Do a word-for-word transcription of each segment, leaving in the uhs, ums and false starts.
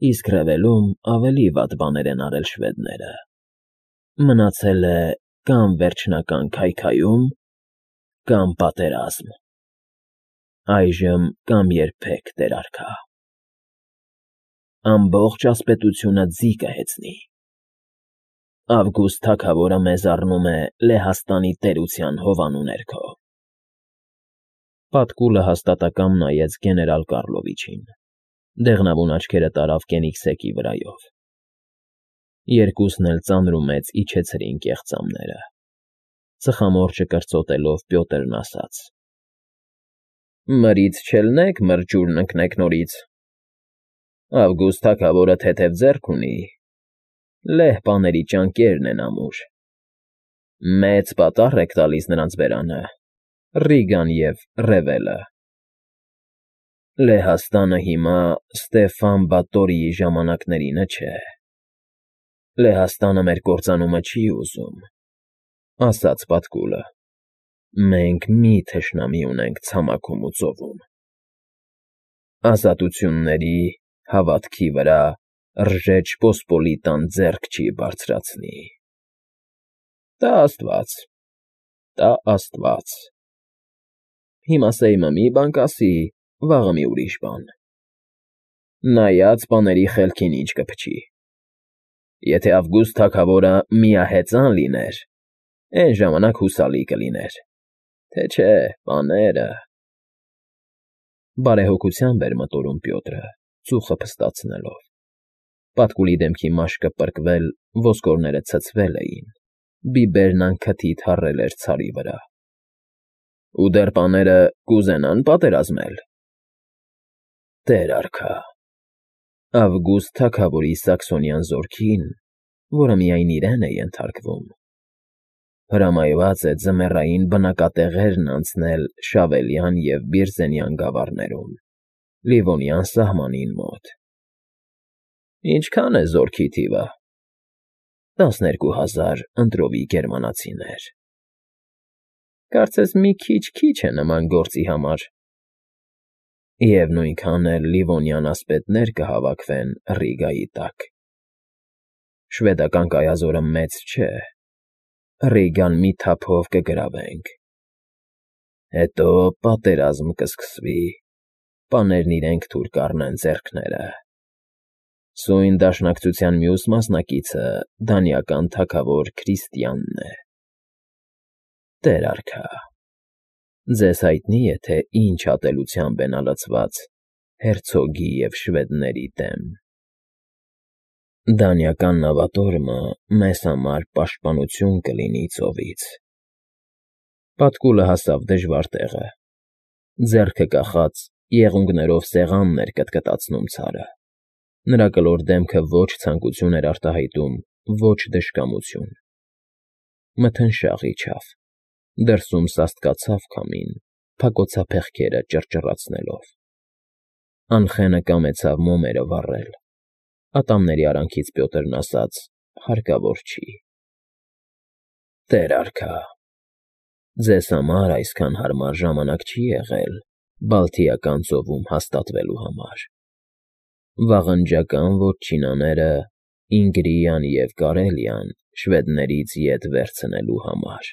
իսկ ռևելում ավելի վատ բաներ են արել շվեդները. մնացել է կամ վերջնական քայքայում, կամ պատերազմ, այժմ կամ երբեք, տեր արքա, ամբողջ ասպետությունը ձի կհեծնի, Ավգուստ թագավորը մեզ առնում է Լեհաստանի տերության հովանու ներքո… Պատկուլը հաստատակամ նայեց գեներալ Կառլովիչին, դեղնավուն աչքերը տարավ կենիքսեկի վրայով. երկուսն էլ ծանր ու մեծ իջեցրին կեղծամները, ծխամորճը կրծոտելով Պյոտրն ասաց. Մրից չելնեք, մրջուրն ընկնեք նորից, Ավգուստ թագավորը թեթև ձեռք ունի, լեհ պաների ճանկերն են ամուր, մեծ պատառ եք տալիս նրանց բերանը, Ռիգան և Ռևելը… Լեհաստանը հիմա Ստեֆան Բատորիի ժամանակներինը չէ, Լեհաստանը մեր կործանումը չի ուզում, ասաց Պատկուլը, մենք մի թշնամի ունենք ցամաքում ու ծովում, ազատությունների, հավատքի վրա Ռժեջ Պոսպոլիտան ձեռք չի բարձրացնի… Տա աստված, տա աստված… Հիմա Սեյմը մի բան կասի, վաղը մի ուրիշ բան… Նայած պաների խելքին ինչ կփչի… Եթե Ավգուստ թագավորը միահեծան լիներ, էն ժամանակ հուսալի կլիներ, թե չէ, պաները… Բարեհոգությամբ էր մտորում Պյոտրը, ծուխը փստացնելով, Պատկուլի դեմքի մաշկը պրկվել, ոսկորները ցցվել էին, բիբերն անքթիթ հառել էր ցարի վրա… Ու դեռ պաները կուզենա՞ն պատերազմել… Տեր արքա, Ավգուստ թագավորի Սաքսոնյան զորքին, որը միայն իրեն է ենթարկվում, հրամայված է ձմեռային բնակատեղերն անցնել Շավելյան և Բիրզենյան գավառներում, Լիվոնյան սահմանին մոտ… Ինչքա՞ն է զորքի թիվը… Տասներկու հազար ընտրովի գերմանացիներ… Կարծես մի քիչ֊քիչ է նման գործի համար… Եվ նույնքան էլ Լիվոնյան ասպետներ կհավաքվեն Ռիգայի տակ… Շվեդական կայազորը մեծ չէ… Ռիգան մի թափով կգրավենք… Հետո պատերազմ կսկսվի, պաներն իրենք թուր կառնեն ձեռքները… Սույն դաշնակցության մյուս մասնակիցը դանիական թագավոր Քրիստիանն է… Տեր արքա, ձեզ հայտնի է, թե ինչ ատելությամբ է նա լցված հերցոգի և շվեդների դեմ… Դանիական նավատորմը մեզ համար պաշտպանություն կլինի ծովից… Պատկուլը հասավ դժվար տեղը, ձեռքը կախած եղունգներով սեղանն էր կտկտացնում ցարը, նրա կլոր դեմքը ոչ ցանկություն էր արտահայտում, ոչ դժկամություն… Մթնշաղ իջավ, դրսում սաստկացավ քամին, փակոցափեղկերը ճռճռացնելով… Անխենը կամեցավ մոմերը վառել, ատամների արանքից Պյոտրն ասաց. հարկավոր չի… Տեր արքա, ձեզ համար այսքան հարմար ժամանակ չի եղել Բալթիական ծովում հաստատվելու համար… Վաղնջական վոտչինաները Ինգրիան և Կարելիան շվեդներից ետ վերցնելու համար…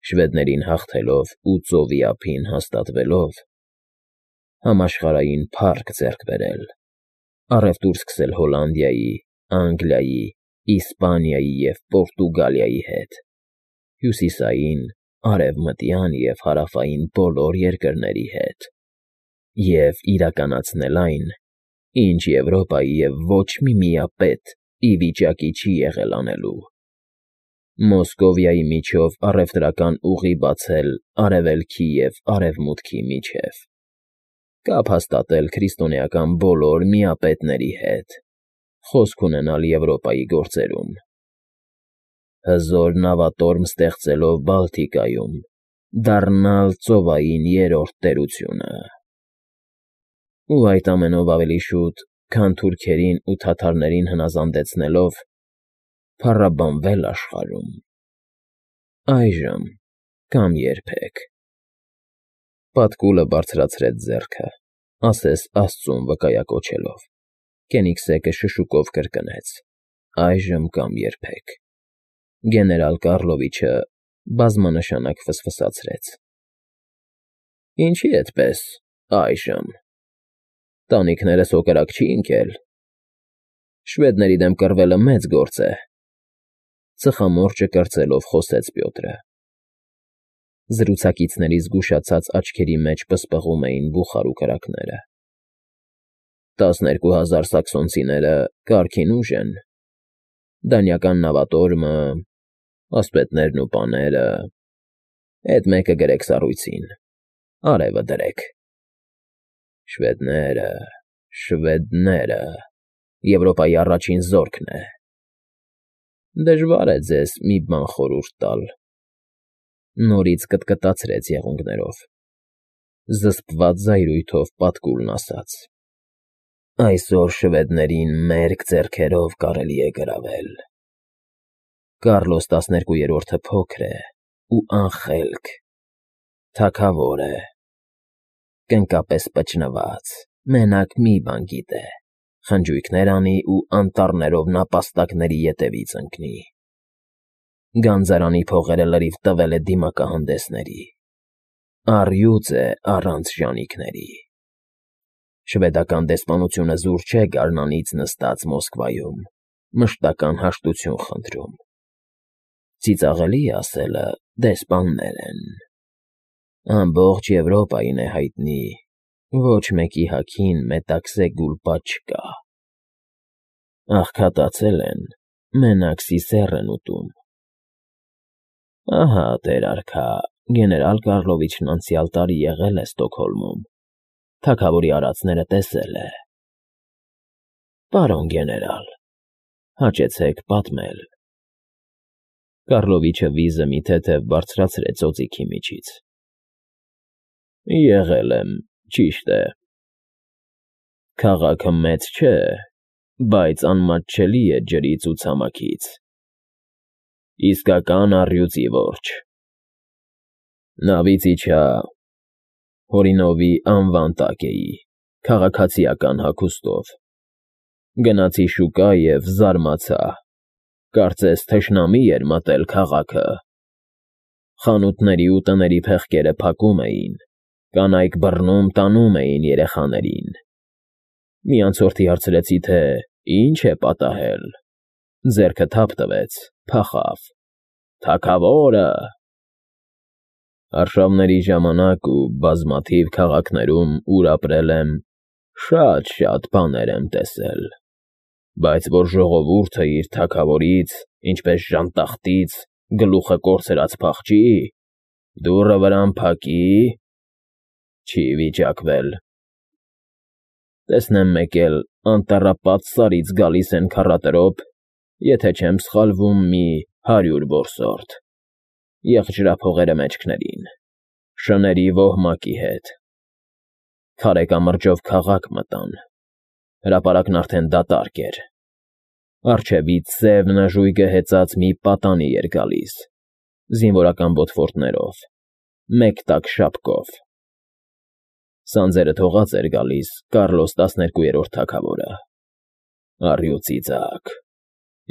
Շվեդներին հաղթելով ու ծովի ափին հաստատվելով, համաշխարհային փառք ձեռք բերել, առևտուր սկսել Հոլանդիայի, Անգլիայի, Իսպանիայի և Պորտուգալիայի հետ, հյուսիսային, արևմտյան և հարավային բոլոր երկրների հետ և իրականացնել այն, ինչ Եվրոպայի և ոչ մի միապետ ի վիճակի չի եղել անելու… Մոսկովիայի միջով առևտրական ուղի բացել Արևելքի և Արևմուտքի միջև, կապ հաստատել քրիստոնեական բոլոր միապետների հետ, խոսք ունենալ Եվրոպայի գործերում, հզոր նավատորմ ստեղծելով Բալտիկայում, դառնալ ծովային երրորդ տերությունը… Ու այդ ամենով ավելի շուտ, քան թուրքերին ու թաթարներին հնազանդեցնելով, փառաբանվել աշխարհում… Այժմ կամ երբեք… Պատկուլը բարձրացրեց ձեռքը, ասես աստծուն վկայակոչելով, Կենիգսեկը շշուկով կրկնեց. այժմ կամ երբեք։ Գեներալ Կառլովիչը բազմանշանակ ֆսֆսացրեց. Ինչի էդպես, այժմ։ Տանիքները սոկրակ չի ընկել։ Շվեդների դեմ կռվելը մեծ գործ է, ծխամորճը կրծելով խոսեց Պյոտրը։ Զրուցակիցների զգուշացած աչքերի մեջ պսպղում էին բուխարու կրակները։ Տասներկու հազար սաքսոնցիները կարգին ուժ են, դանիական նավատորմը, ասպետներն ու պաները, էդ մեկը գրեք սառույցին, արևը դրեք։ Շվեդները, շվեդները, Եվրոպայի առաջին զորքն է։ Դժվար է ձեզ մի բան խորհուրդ տալ։ Նորից կտկտացրեց եղունգներով։ Զսպված զայրույթով պատկուլն ասաց. Այսօր շվեդներին մերկ ձեռքերով կարելի է գրավել։ Կարլոս տասներկուերորդը փոքր է ու անխելք, թագավոր է, կնկապես պճնված, մենակ մի բան գիտե, խնջույքներ անի ու անտառներով նապաստակների ետևից ընկնի։ Գանձարանի փողերը լրիվ տվել է դիմակահանդեսների, առյուծ է առանց ժանիքների։ Շվեդական դեսպանությունը զուր չէ գարնանից նստած Մոսկվայում, մշտական հաշտություն խնդրում։ Ծիծաղելի ասելը դեսպաններ են։ Ամբողջ Եվրոպային է հայտնի, ոչ մեկի հագին մետաքսե գուլպա չկա։ Աղքատացել են, մենակ սիսեռ են ուտում։ Ահա, տեր արքա, գեներալ Կառլովիչն անցյալ տարի եղել է Ստոկհոլմում, թագավորի արածները տեսել է։ Պարոն գեներալ, հաճեցեք պատմել։ Կառլովիչը վիզը մի թեթև բարձրացրեց օձիքի միջից։ Եղել եմ, ճիշտ է։ Քաղաքը մեծ չէ, բայց անմատչելի է ջրից ու ցամաքից։ Իսկական առյուծի որջը։ Նավից իջա, Հորինովի անվան տակ էի, քաղաքացիական հագուստով։ Գնացի շուկա և զարմացա, կարծես թշնամի էր մտել քաղաքը։ Խանութների ու տների փեղկերը փակում էին, կանայք բռնում տանում էին երեխաներին։ Մի անցորդի հարցրեցի, թե ինչ է պատահել։ Ձեռքը թափ տվեց, փախավ։ Թագավորը։ Արշավների ժամանակ ու բազմաթիվ քաղաքներում, ուր ապրել եմ, շատ֊շատ բաներ եմ տեսել, բայց որ ժողովուրդը իր թագավորից, ինչպես ժանտախտից, գլուխը կորցրած փախչի, դուռը վրան փակի, չի վիճակվել։ Տեսնեմ մեկ էլ անտառապատ Սարից գալիս են քառատրոփ, եթե չեմ սխալվում, մի հարյուր որսորդ, եղջրափողերը մեջքներին, շների ոհմակի հետ։ Քարե կամրջով քաղաք մտան, հրապարակն արդեն դատարկ էր։ Առջևից սև նժույգը հեծած մի պատանի էր գալիս, զինվորական բոթֆորտներով, մեկ տակ շապկով։ Սանձերը թողած էր գալիս Կարլոս տասներկուերորդ թագավորը։ Առյուծի ձագ,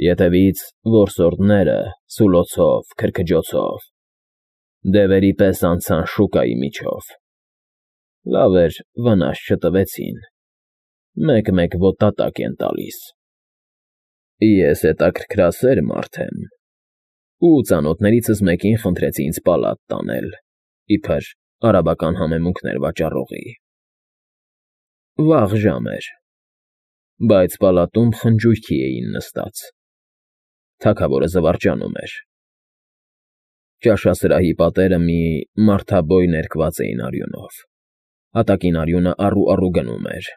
ետևից որսորդները սուլոցով, քրքջոցով, դևերի պես անցան շուկայի միջով։ Լավ էր, վնաս չտվեցին, մեկ֊մեկ ոտնատակ են տալիս։ Ես հետաքրքրասեր մարդ եմ, ու ծանոթներիցս մեկին խնդրեցի ինձ պալատ տանել, իբր արաբական համեմունքներ վաճառողի։ Վաղ ժամ էր, բայց պալատում խնջույքի էին նստած։ Թագավորը զվարճանում էր։ Ճաշասրահի պատերը մի մարդաբոյ ներկված էին արյունով։ Հատակին արյունը առու֊առու գնում էր։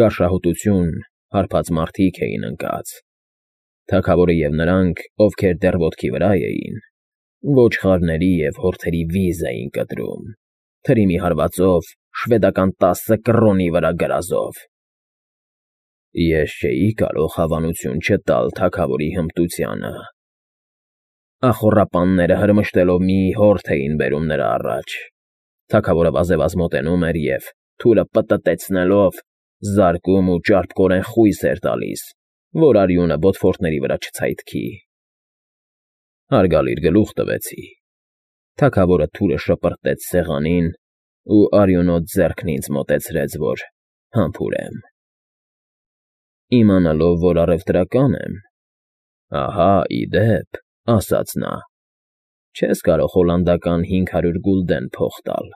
Գարշահոտություն, հարբած մարդիկ էին ընկած։ Թագավորը և նրանք, ովքեր դեռ ոտքի վրա էին, ոչխարների և հորթերի վիզ էին կտրում, թրիմի հարվածով, շվեդական տասը կռոնի վրա գրազով։ Ես չէի կարող հավանություն չտալ թագավորի հմտությանը։ Ախոռապանները հրմշտելով մի հորթ էին բերում նրա առաջ։ Թագավորը վազևազ մոտենում էր և, թուրը պտտեցնելով, զարկում ու ճարպկորեն խույս էր տալիս, որ արյունը բոթփորտների վրա չցայթքի։ Հարգալիր գլուխ տվեցի։ Թագավորը թուրը շպրտեց սեղանին ու արյունոտ ձեռքն ինձ մոտեցրեց, որ համբուրեմ։ Իմանալով, որ առևտրական եմ, ահա, ի դեպ, ասաց նա, չես կարող հոլանդական հինգ հարյուր գուլդեն փող տալ։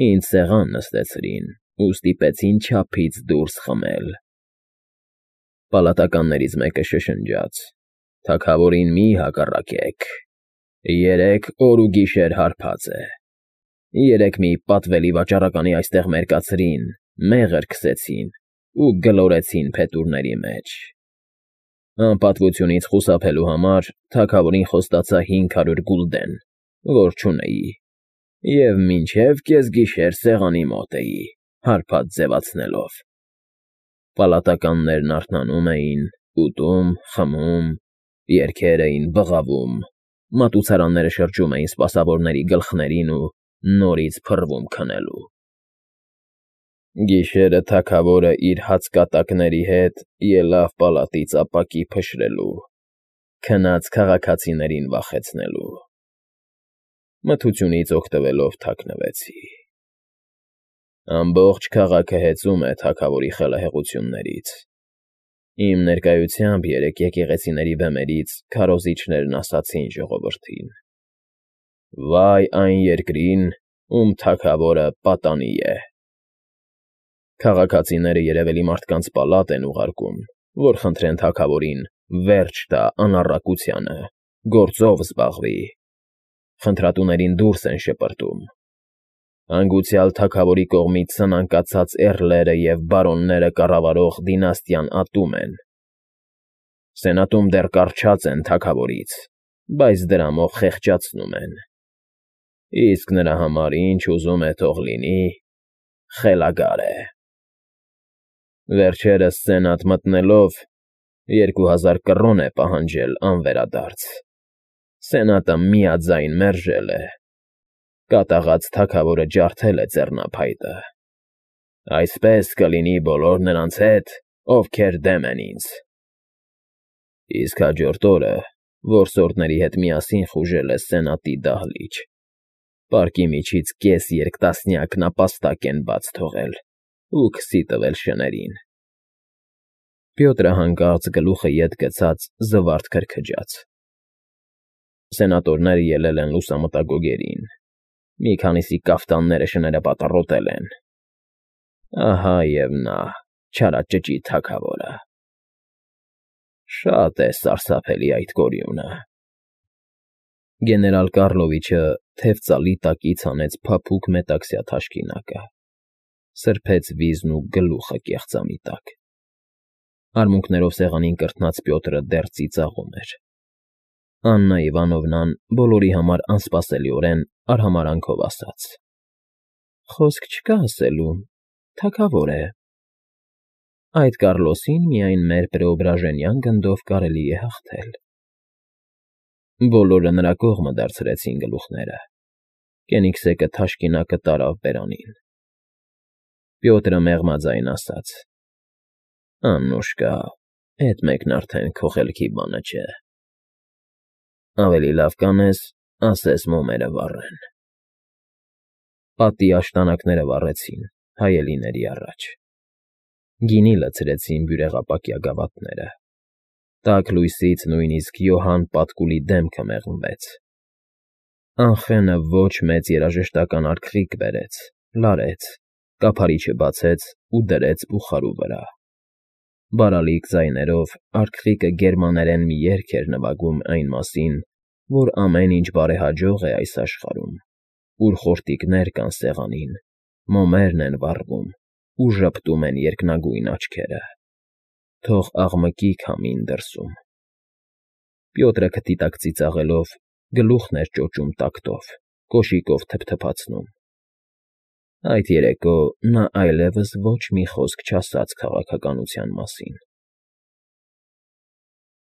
Ինձ սեղան նստեցրին ու ստիպեցին չափից դուրս խմել։ Պալատականներից մեկը շշնջաց. «Թագավորին մի հակառակեք, երեք օր ու գիշեր հարբած է։ Երեկ մի պատվելի վաճառականի այստեղ մերկացրին, մեղր քսեցին ու գլորեցին փետուրների մեջ։ Անպատվությունից խուսափելու համար թագավորին խոստացա հինգ հարյուր գուլդեն, որ չունեի, և մինչև կեսգիշեր սեղանի մոտ էի, հարբած ձևացնելով։ Պալատականներն արթնանում էին, ուտում, խմում, երգեր էին բղավում, մատուցարանները շրջում էին սպասավորների գլխներին ու նորից փռվում քնելու։ Գիշերը թագավորը իր հացկատակների հետ ելավ պալատից ապակի փշրելու, քնած քաղաքացիներին վախեցնելու։ Մթությունից օգտվելով թաքնվեցի։ Ամբողջ քաղաքը հեծում է թագավորի խելահեղություններից։ Իմ ներկայությամբ երեկ եկեղեցիների բեմերից քարոզիչներն ասացին ժողովրդին. «Վայ այն երկրին, ում թագավորը պատանի է»։ Քաղաքացիները երևելի մարդկանց պալատ են ուղարկում, որ խնդրեն թագավորին վերջ տա անառակությանը, գործով զբաղվի։ Խնդրատուներին դուրս են շպրտում։ Հանգուցյալ թագավորի կողմից սնանկացած էռլերը և բարոնները կառավարող դինաստիան ատում են։ Սենատում դեռ կառչած են թագավորից, բայց դրամով խեղճացնում են։ Իսկ նրա համար ինչ ուզում է թող լինի, խելագար է։ Վերջերս սենատ մտնելով, երկու հազար կռոն է պահանջել անվերադարձ։ Սենատը միաձայն մերժել է։ Կատաղած թագավորը ջարդել է ձեռնափայտը։ Այսպես կլինի բոլոր նրանց հետ, ովքեր դեմ են ինձ։ Իսկ հաջորդ օրը որսորդների հետ միասին խուժել է սենատի դահլիճ։ Պարկի միջից կես երկտասնյակ նապաստակ են բաց թողել ու քսի տվել շներին։ Պյոտրը հանկարծ գլուխը ետ գցած զվարթ քրքջաց։ Սենատորները ելել են լուսամուտագոգերին, մի քանիսի կաֆտանները շները պատառոտել են։ Ահա և նա, չարաճճի թագավորը։ Շատ է սարսափելի այդ գորիունը։ Գեներալ Կառլովիչը թև ծալի տակից հանեց փափուկ մետաքսյա թաշկինակը, սրբեց վիզն ու գլուխը կեղծամի տակ։ Արմունկներով սեղանին կրթնած Պյոտրը դեռ ծիծաղում էր։ Աննա Իվանովնան բոլորի համար անսպասելիորեն արհամարհանքով ասաց. «Խոսք չկա ասելու, թագավոր է։ Այդ Կառլոսին միայն մեր Պրեոբրաժենյան գնդով կարելի է հաղթել»։ Բոլորը նրա կողմը դարձրեցին գլուխները։ Կենիգսեկը թաշկինակը տարավ բերանին։ Պյոտրը մեղմաձայն ասաց. «Աննուշկա, էդ մեկն արդեն քո խելքի բանը չէ։ Ավելի լավ կանես, ասես մոմերը վառեն»։ Պատի աշտանակները վառեցին հայելիների առաջ։ Գինի լցրեցին բյուրեղապակյա գավաթները։ Տաք լույսից նույնիսկ Յոհան Պատկուլի դեմքը մեղմվեց։ Անխենը ոչ մեծ երաժշտական արգղիկ բերեց, լարեց, կափարիչը բացեց ու դրեց բուխարու վրա։ Բարալիկ ձայներով արգղիկը գերմաներեն մի երգ էր նվագում այն մասին, որ ամեն ինչ բարեհաջող է այս աշխարհում, ուր խորտիկներ կան սեղանին, մոմերն են վառվում ու ժպտում են երկնագույն աչքերը։ Թող աղմկի քամին դրսում։ Պյոտրը քթի տակ ծիծաղելով գլուխն էր ճոճում տակտով, կոշիկով թփթփացնում։ Այդ երեկո նա այլևս ոչ մի խոսք չասաց քաղաքականության մասին։